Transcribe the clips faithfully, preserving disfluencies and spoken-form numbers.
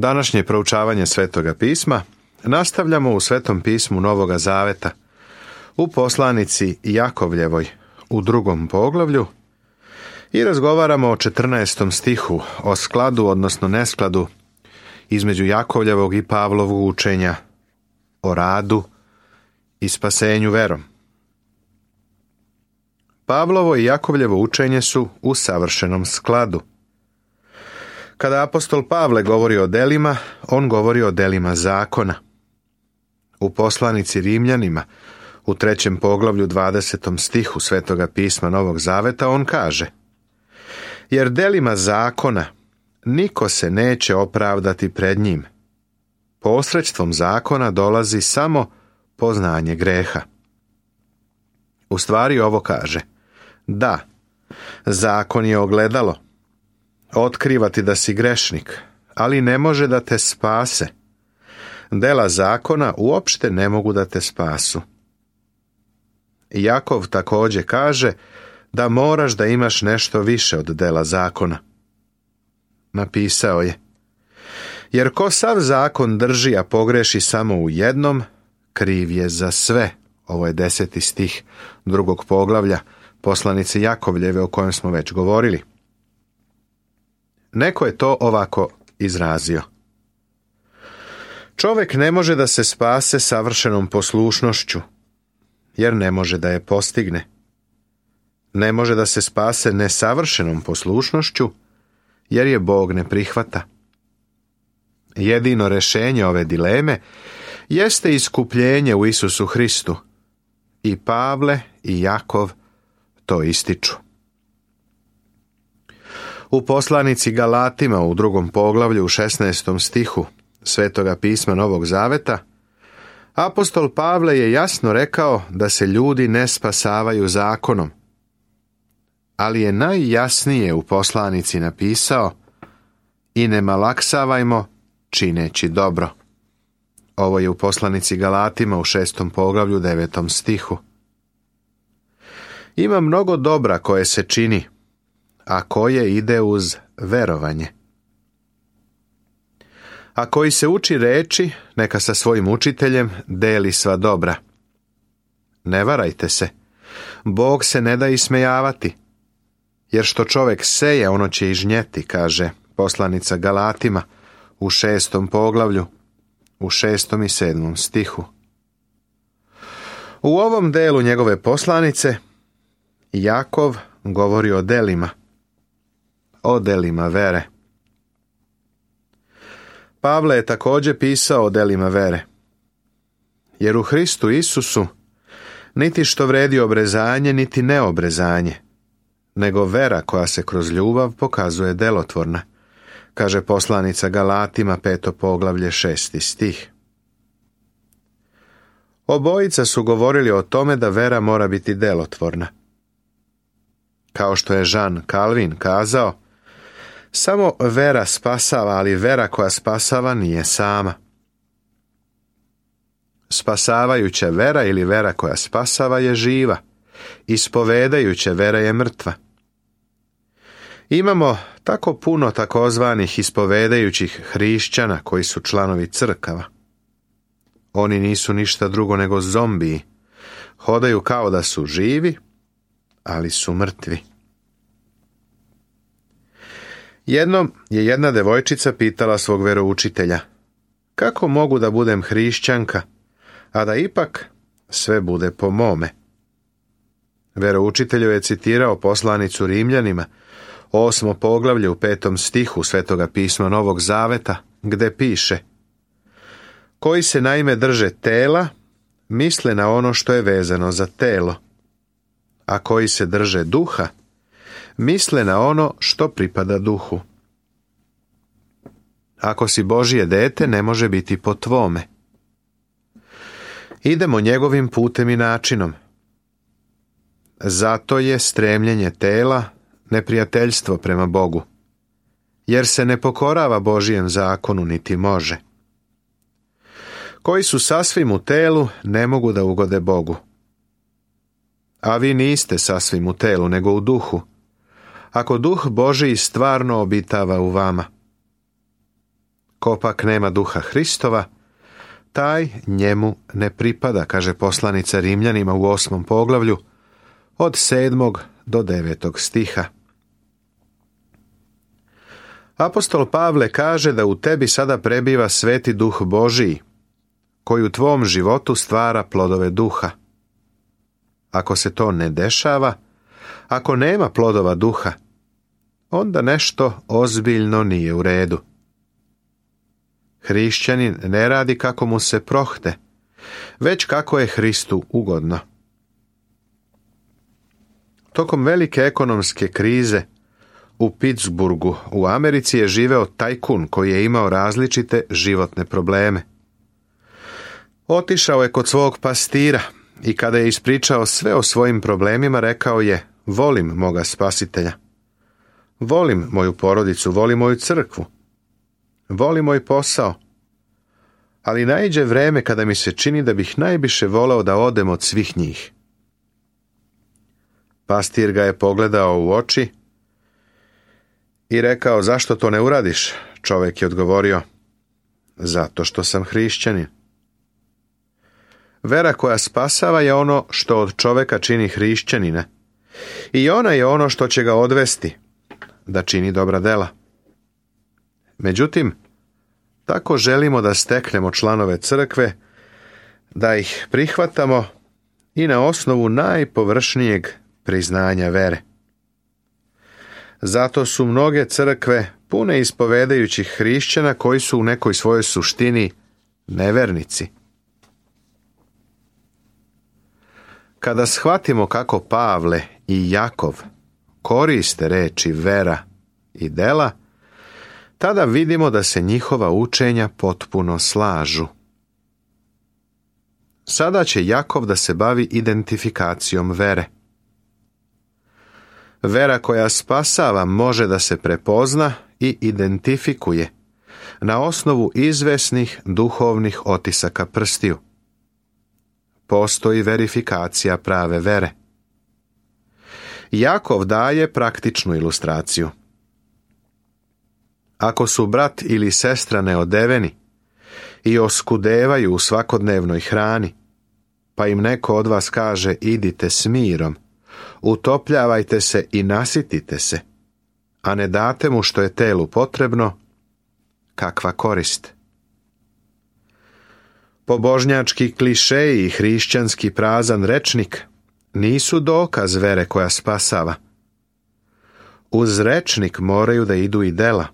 Današnje proučavanje Svetoga pisma nastavljamo u Svetom pismu Novoga Zaveta, u poslanici Jakovljevoj, u drugom poglavlju, i razgovaramo o četrnaestom stihu, o skladu, odnosno neskladu, između Jakovljevog i Pavlovog učenja, o radu i spasenju verom. Pavlovo i Jakovljevo učenje su u savršenom skladu. Kada apostol Pavle govori o delima, on govori o delima zakona. U poslanici Rimljanima, u trećem poglavlju dvadesetom stihu Svetoga pisma Novog Zaveta, on kaže: jer delima zakona niko se neće opravdati pred njim. Posredstvom zakona dolazi samo poznanje greha. U stvari ovo kaže: da, zakon je ogledalo. Otkriva ti da si grešnik, ali ne može da te spase. Dela zakona uopšte ne mogu da te spasu. Jakov također kaže da moraš da imaš nešto više od dela zakona. Napisao je: jer ko sav zakon drži, a pogreši samo u jednom, kriv je za sve. Ovo je deseti stih drugog poglavlja poslanice Jakovljeve, o kojem smo već govorili. Neko je to ovako izrazio: čovjek ne može da se spase savršenom poslušnošću, jer ne može da je postigne. Ne može da se spase nesavršenom poslušnošću, jer je Bog ne prihvata. Jedino rješenje ove dileme jeste iskupljenje u Isusu Hristu. I Pavle i Jakov to ističu. U poslanici Galatima u drugom poglavlju u šesnaestom stihu Svetoga pisma Novog Zaveta, apostol Pavle je jasno rekao da se ljudi ne spasavaju zakonom, ali je najjasnije u poslanici napisao: i ne malaksavajmo čineći dobro. Ovo je u poslanici Galatima u šestom poglavlju devetom stihu. Ima mnogo dobra koje se čini, a koje ide uz verovanje. A koji se uči reči, neka sa svojim učiteljem deli sva dobra. Ne varajte se, Bog se ne da ismejavati, jer što čovjek seje, ono će i žnjeti, kaže poslanica Galatima u šestom poglavlju, u šestom i sedmom stihu. U ovom delu njegove poslanice Jakov govori o delima, o delima vere. Pavle je također pisao o delima vere, jer u Hristu Isusu niti što vredi obrezanje, niti neobrezanje, nego vera koja se kroz ljubav pokazuje delotvorna, kaže poslanica Galatima peto poglavlje šesti stih. Obojica su govorili o tome da vera mora biti delotvorna. Kao što je Jean Calvin kazao: samo vera spasava, ali vera koja spasava nije sama. Spasavajuća vera ili vera koja spasava je živa, ispovedajuća vera je mrtva. Imamo tako puno takozvanih ispovedajućih hrišćana koji su članovi crkava. Oni nisu ništa drugo nego zombiji. Hodaju kao da su živi, ali su mrtvi. Jednom je jedna devojčica pitala svog veroučitelja: kako mogu da budem hrišćanka, a da ipak sve bude po mome? Veroučitelju je citirao poslanicu Rimljanima, osmo poglavlje u petom stihu Svetoga pisma Novog Zaveta, gde piše: koji se naime drže tela, misle na ono što je vezano za telo, a koji se drže duha, misle na ono što pripada duhu. Ako si Božje dete, ne može biti po tvome. Idemo njegovim putem i načinom. Zato je stremljenje tela neprijateljstvo prema Bogu, jer se ne pokorava Božijem zakonu, niti može. Koji su sasvim u telu, ne mogu da ugode Bogu. A vi niste sasvim u telu, nego u duhu, ako duh Božiji stvarno obitava u vama. Ko pak nema duha Hristova, taj njemu ne pripada, kaže poslanica Rimljanima u osmom poglavlju, od sedmog do devetog stiha. Apostol Pavle kaže da u tebi sada prebiva sveti duh Božiji, koji u tvom životu stvara plodove duha. Ako se to ne dešava, ako nema plodova duha, onda nešto ozbiljno nije u redu. Hrišćanin ne radi kako mu se prohte, već kako je Hristu ugodno. Tokom velike ekonomske krize u Pittsburghu u Americi je živeo tajkun koji je imao različite životne probleme. Otišao je kod svog pastira i kada je ispričao sve o svojim problemima, rekao je: volim moga spasitelja. Volim moju porodicu, volim moju crkvu. Volim moj posao. Ali naiđe vreme kada mi se čini da bih najviše voleo da odem od svih njih. Pastir ga je pogledao u oči i rekao: zašto to ne uradiš? Čovjek je odgovorio: zato što sam hrišćanin. Vera koja spasava je ono što od čovjeka čini hrišćanina. I ona je ono što će ga odvesti da čini dobra dela. Međutim, tako želimo da steknemo članove crkve, da ih prihvatamo i na osnovu najpovršnijeg priznanja vere. Zato su mnoge crkve pune ispovedajućih hrišćana koji su u nekoj svojoj suštini nevernici. Kada shvatimo kako Pavle i Jakov koriste reči vera i dela, tada vidimo da se njihova učenja potpuno slažu. Sada će Jakov da se bavi identifikacijom vere. Vera koja spasava može da se prepozna i identifikuje na osnovu izvesnih duhovnih otisaka prstiju. Postoji verifikacija prave vere. Jakov daje praktičnu ilustraciju. Ako su brat ili sestra neodeveni i oskudevaju u svakodnevnoj hrani, pa im neko od vas kaže: idite s mirom, utopljavajte se i nasitite se, a ne date mu što je telu potrebno, kakva korist? Pobožnjački klišeji i hrišćanski prazan rečnik nisu dokaz vere koja spasava. Uz rečnik moraju da idu i dela.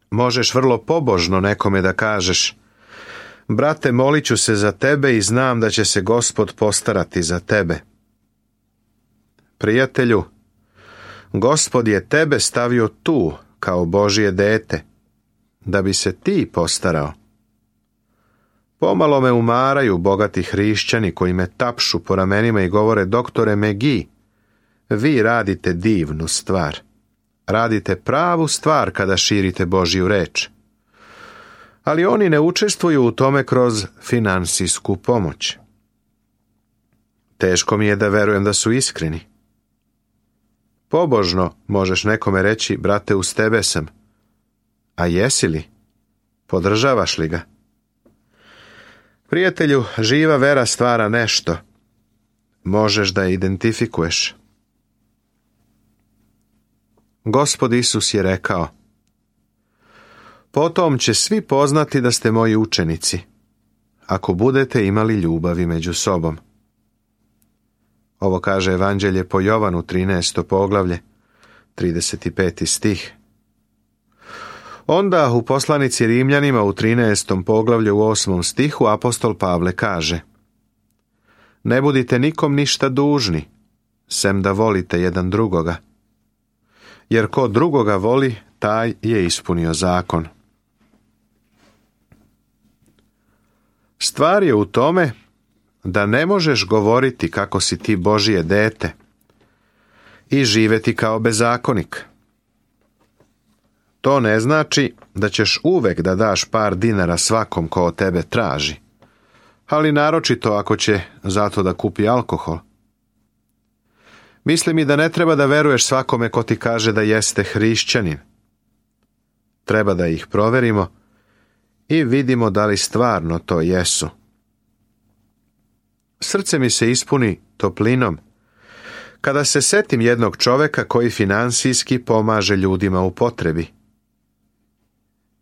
Možeš vrlo pobožno nekome da kažeš: brate, molit ću se za tebe i znam da će se Gospod postarati za tebe. Prijatelju, Gospod je tebe stavio tu kao Božje dete, da bi se ti postarao. Pomalo me umaraju bogati hrišćani koji me tapšu po ramenima i govore: doktore Megi, vi radite divnu stvar. Radite pravu stvar kada širite Božju reč. Ali oni ne učestvuju u tome kroz finansijsku pomoć. Teško mi je da verujem da su iskreni. Pobožno možeš nekome reći: brate, uz tebe sam. A jesi li? Podržavaš li ga? Prijatelju, živa vera stvara nešto. Možeš da je identifikuješ. Gospod Isus je rekao: potom će svi poznati da ste moji učenici, ako budete imali ljubavi među sobom. Ovo kaže Evanđelje po Jovanu, trinaesto poglavlje, trideset peti stih. Onda u poslanici Rimljanima u trinaestom poglavlju u osmom stihu apostol Pavle kaže: ne budite nikom ništa dužni, sem da volite jedan drugoga. Jer ko drugoga voli, taj je ispunio zakon. Stvar je u tome da ne možeš govoriti kako si ti Božje dete i živeti kao bezakonik. To ne znači da ćeš uvek da daš par dinara svakom ko od tebe traži, ali naročito ako će zato da kupi alkohol. Misli mi da ne treba da veruješ svakome ko ti kaže da jeste hrišćanin. Treba da ih proverimo i vidimo da li stvarno to jesu. Srce mi se ispuni toplinom kada se setim jednog čoveka koji finansijski pomaže ljudima u potrebi.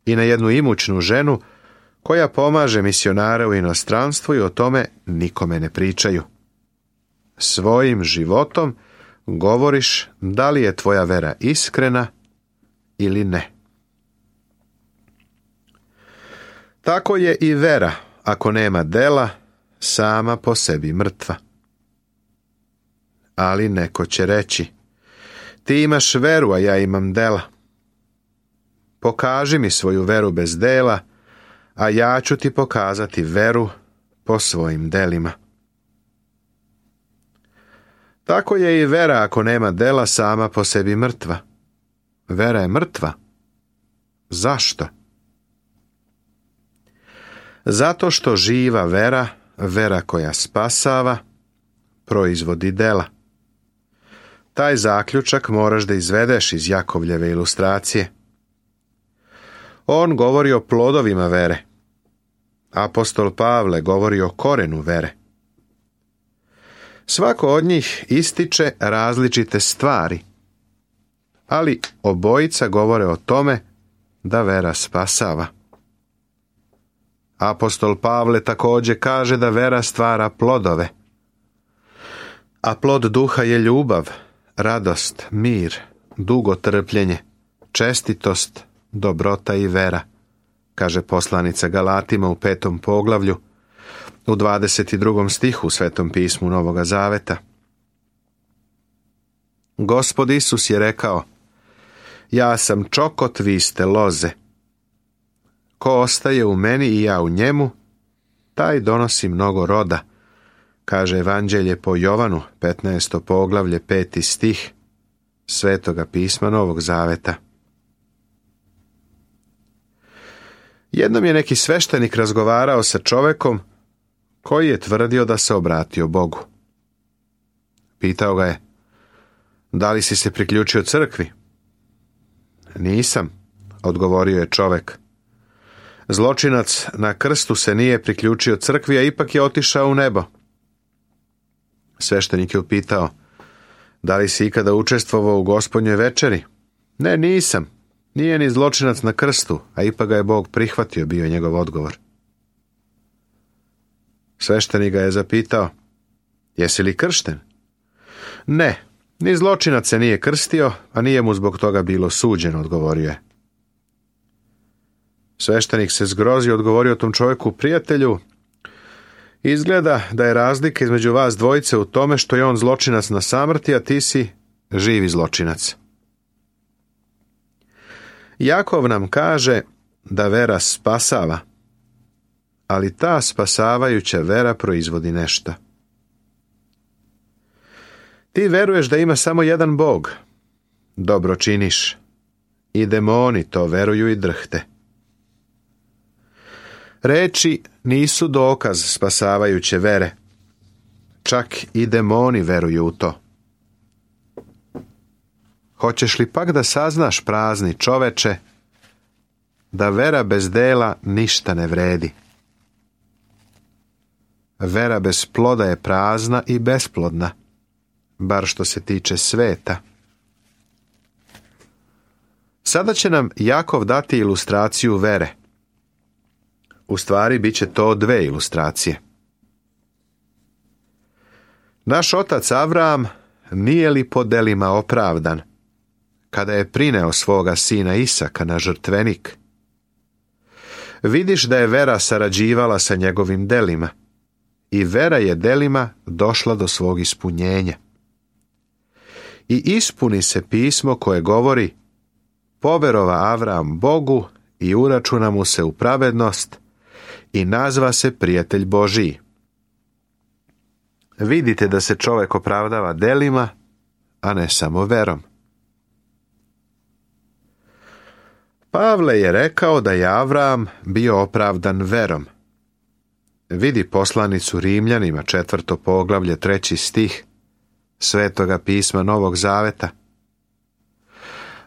I na jednu imućnu ženu koja pomaže misionare u inostranstvu i o tome nikome ne pričaju. Svojim životom govoriš da li je tvoja vera iskrena ili ne. Tako je i vera, ako nema dela, sama po sebi mrtva. Ali neko će reći, ti imaš veru, a ja imam dela. Pokaži mi svoju veru bez dela, a ja ću ti pokazati veru po svojim delima. Tako je i vera, ako nema dela, sama po sebi mrtva. Vera je mrtva. Zašto? Zato što živa vera, vera koja spasava, proizvodi dela. Taj zaključak moraš da izvedeš iz Jakovljeve ilustracije. On govori o plodovima vere. Apostol Pavle govori o korenu vere. Svako od njih ističe različite stvari, ali obojica govore o tome da vera spasava. Apostol Pavle također kaže da vera stvara plodove, a plod duha je ljubav, radost, mir, dugotrpljenje, čestitost, dobrota i vera, kaže poslanica Galatima u petom poglavlju, u dvadeset drugom stihu u Svetom pismu Novoga Zaveta. Gospod Isus je rekao, ja sam čokot, vi ste loze. Ko ostaje u meni i ja u njemu, taj donosi mnogo roda, kaže Evanđelje po Jovanu, petnaesto poglavlje, peti stih Svetoga pisma Novog Zaveta. Jednom je neki sveštenik razgovarao sa čovekom koji je tvrdio da se obratio Bogu. Pitao ga je, da li si se priključio crkvi? Nisam, odgovorio je čovek. Zločinac na krstu se nije priključio crkvi, a ipak je otišao u nebo. Sveštenik je upitao, da li si ikada učestvovao u Gospodnjoj večeri? Ne, nisam. Nije ni zločinac na krstu, a ipak ga je Bog prihvatio, bio je njegov odgovor. Sveštenik ga je zapitao, jesi li kršten? Ne, ni zločinac se nije krstio, a nije mu zbog toga bilo suđeno, odgovorio je. Sveštenik se zgrozio, odgovorio tom čovjeku, prijatelju, izgleda da je razlika između vas dvojice u tome što je on zločinac na samrti, a ti si živi zločinac. Jakov nam kaže da vera spasava, ali ta spasavajuća vera proizvodi nešto. Ti veruješ da ima samo jedan Bog. Dobro činiš. I demoni to veruju i drhte. Reči nisu dokaz spasavajuće vere. Čak i demoni veruju u to. Hoćeš li pak da saznaš, prazni čoveče, da vera bez dela ništa ne vredi? Vera bez ploda je prazna i besplodna, bar što se tiče sveta. Sada će nam Jakov dati ilustraciju vere. U stvari, bit će to dve ilustracije. Naš otac Avram nije li po delima opravdan, kada je prineo svoga sina Isaka na žrtvenik? Vidiš da je vera sarađivala sa njegovim delima, i vera je delima došla do svog ispunjenja. I ispuni se pismo koje govori, poverova Avram Bogu i uračuna mu se u pravednost i nazva se prijatelj Božiji. Vidite da se čovjek opravdava delima, a ne samo verom. Pavle je rekao da je Avram bio opravdan verom. Vidi poslanicu Rimljanima, četvrto poglavlje, treći stih Svetoga pisma Novog Zaveta.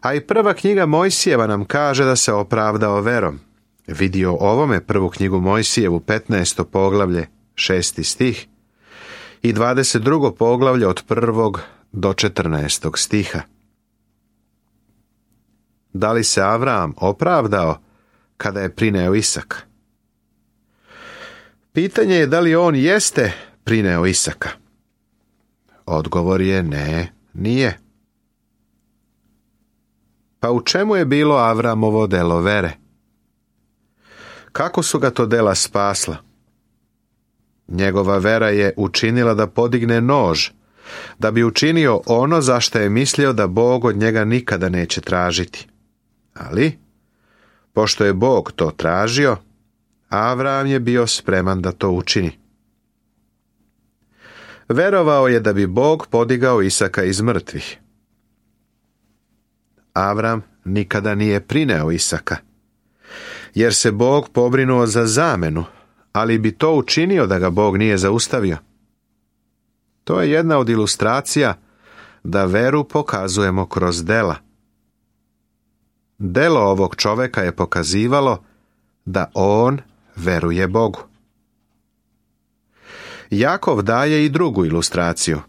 A i prva knjiga Mojsijeva nam kaže da se opravdao verom. Vidio ovome prvu knjigu Mojsijevu, petnaesto poglavlje, šesti stih, i dvadeset drugo poglavlje od prvog do četrnaestog stiha. Da li se Avram opravdao kada je prineo Isaka? Pitanje je da li on jeste prineo Isaka. Odgovor je ne, nije. Pa u čemu je bilo Avramovo delo vere? Kako su ga to dela spasla? Njegova vera je učinila da podigne nož, da bi učinio ono za što je mislio da Bog od njega nikada neće tražiti. Ali, pošto je Bog to tražio, Avram je bio spreman da to učini. Verovao je da bi Bog podigao Isaka iz mrtvih. Avram nikada nije prineo Isaka, jer se Bog pobrinuo za zamenu, ali bi to učinio da ga Bog nije zaustavio. To je jedna od ilustracija da veru pokazujemo kroz dela. Delo ovog čoveka je pokazivalo da on veruje Bogu. Jakov daje i drugu ilustraciju.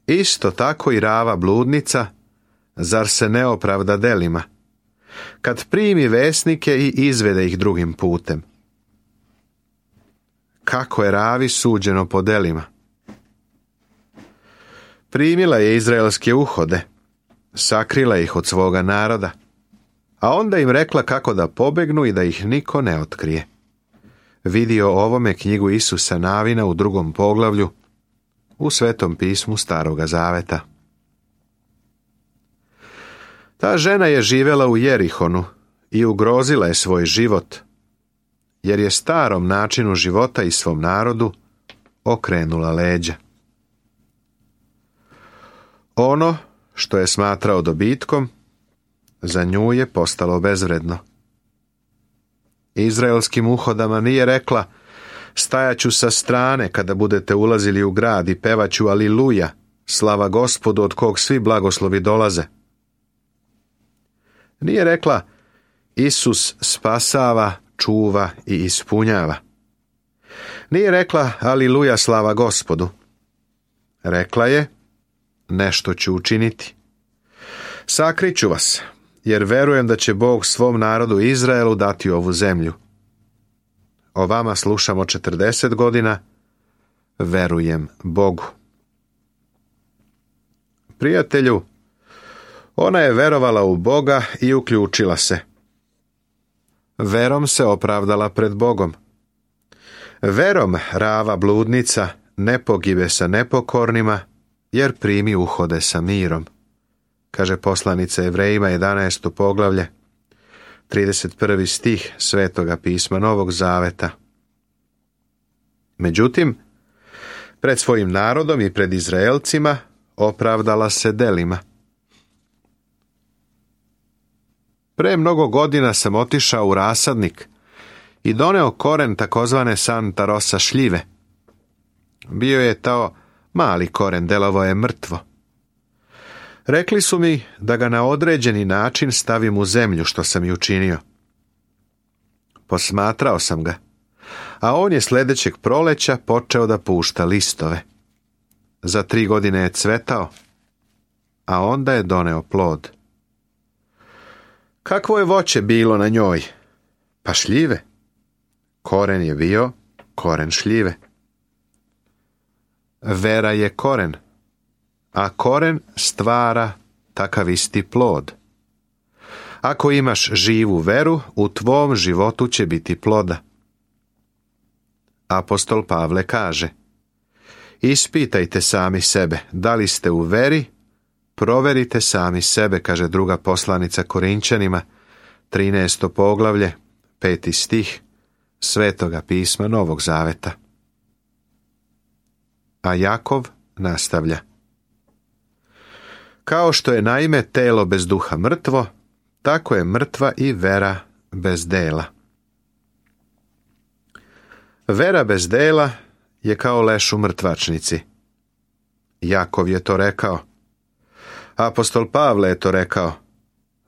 Isto tako i Rava bludnica, zar se ne opravda delima, kad primi vesnike i izvede ih drugim putem? Kako je Ravi suđeno po delima? Primila je izraelske uhode, sakrila ih od svoga naroda, a onda im rekla kako da pobegnu i da ih niko ne otkrije. Vidio ovome knjigu Isusa Navina u drugom poglavlju u Svetom pismu Staroga Zaveta. Ta žena je živjela u Jerihonu i ugrozila je svoj život, jer je starom načinu života i svom narodu okrenula leđa. Ono što je smatrao dobitkom, za nju je postalo bezvredno. Izraelskim uhodama nije rekla: stajaću sa strane kada budete ulazili u grad i pevaću aliluja, slava Gospodu od kog svi blagoslovi dolaze. Nije rekla: Isus spasava, čuva i ispunjava. Nije rekla: aliluja, slava Gospodu. Rekla je: nešto ću učiniti. Sakriću vas, jer verujem da će Bog svom narodu Izraelu dati ovu zemlju. O vama slušamo četrdeset godina, verujem Bogu. Prijatelju, ona je verovala u Boga i uključila se. Verom se opravdala pred Bogom. Verom Rava bludnica ne pogibe sa nepokornima, jer primi uhode sa mirom, kaže poslanica Evrejima jedanaesto poglavlje, trideset prvi stih Svetoga pisma Novog Zaveta. Međutim, pred svojim narodom i pred Izraelcima opravdala se delima. Pre mnogo godina sam otišao u rasadnik i doneo koren takozvane Santa Rosa šljive. Bio je to mali koren, delovo je mrtvo. Rekli su mi da ga na određeni način stavim u zemlju, što sam i učinio. Posmatrao sam ga, a on je sljedećeg proleća počeo da pušta listove. Za tri godine je cvetao, a onda je doneo plod. Kakvo je voće bilo na njoj? Pa šljive. Koren je bio koren šljive. Vera je koren, a koren stvara takav isti plod. Ako imaš živu veru, u tvom životu će biti ploda. Apostol Pavle kaže: ispitajte sami sebe, da li ste u veri, proverite sami sebe, kaže druga poslanica Korinčanima, trinaesto poglavlje, peti stih Svetoga pisma Novog Zaveta. A Jakov nastavlja: kao što je naime telo bez duha mrtvo, tako je mrtva i vera bez dela. Vera bez dela je kao leš u mrtvačnici. Jakov je to rekao. Apostol Pavle je to rekao,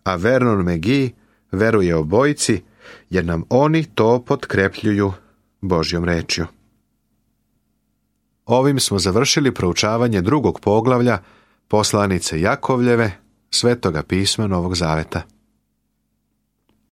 a Vernon McGee veruje obojici, jer nam oni to potkrepljuju Božjom rečju. Ovim smo završili proučavanje drugog poglavlja poslanice Jakovljeve, Svetoga pisma Novog Zaveta.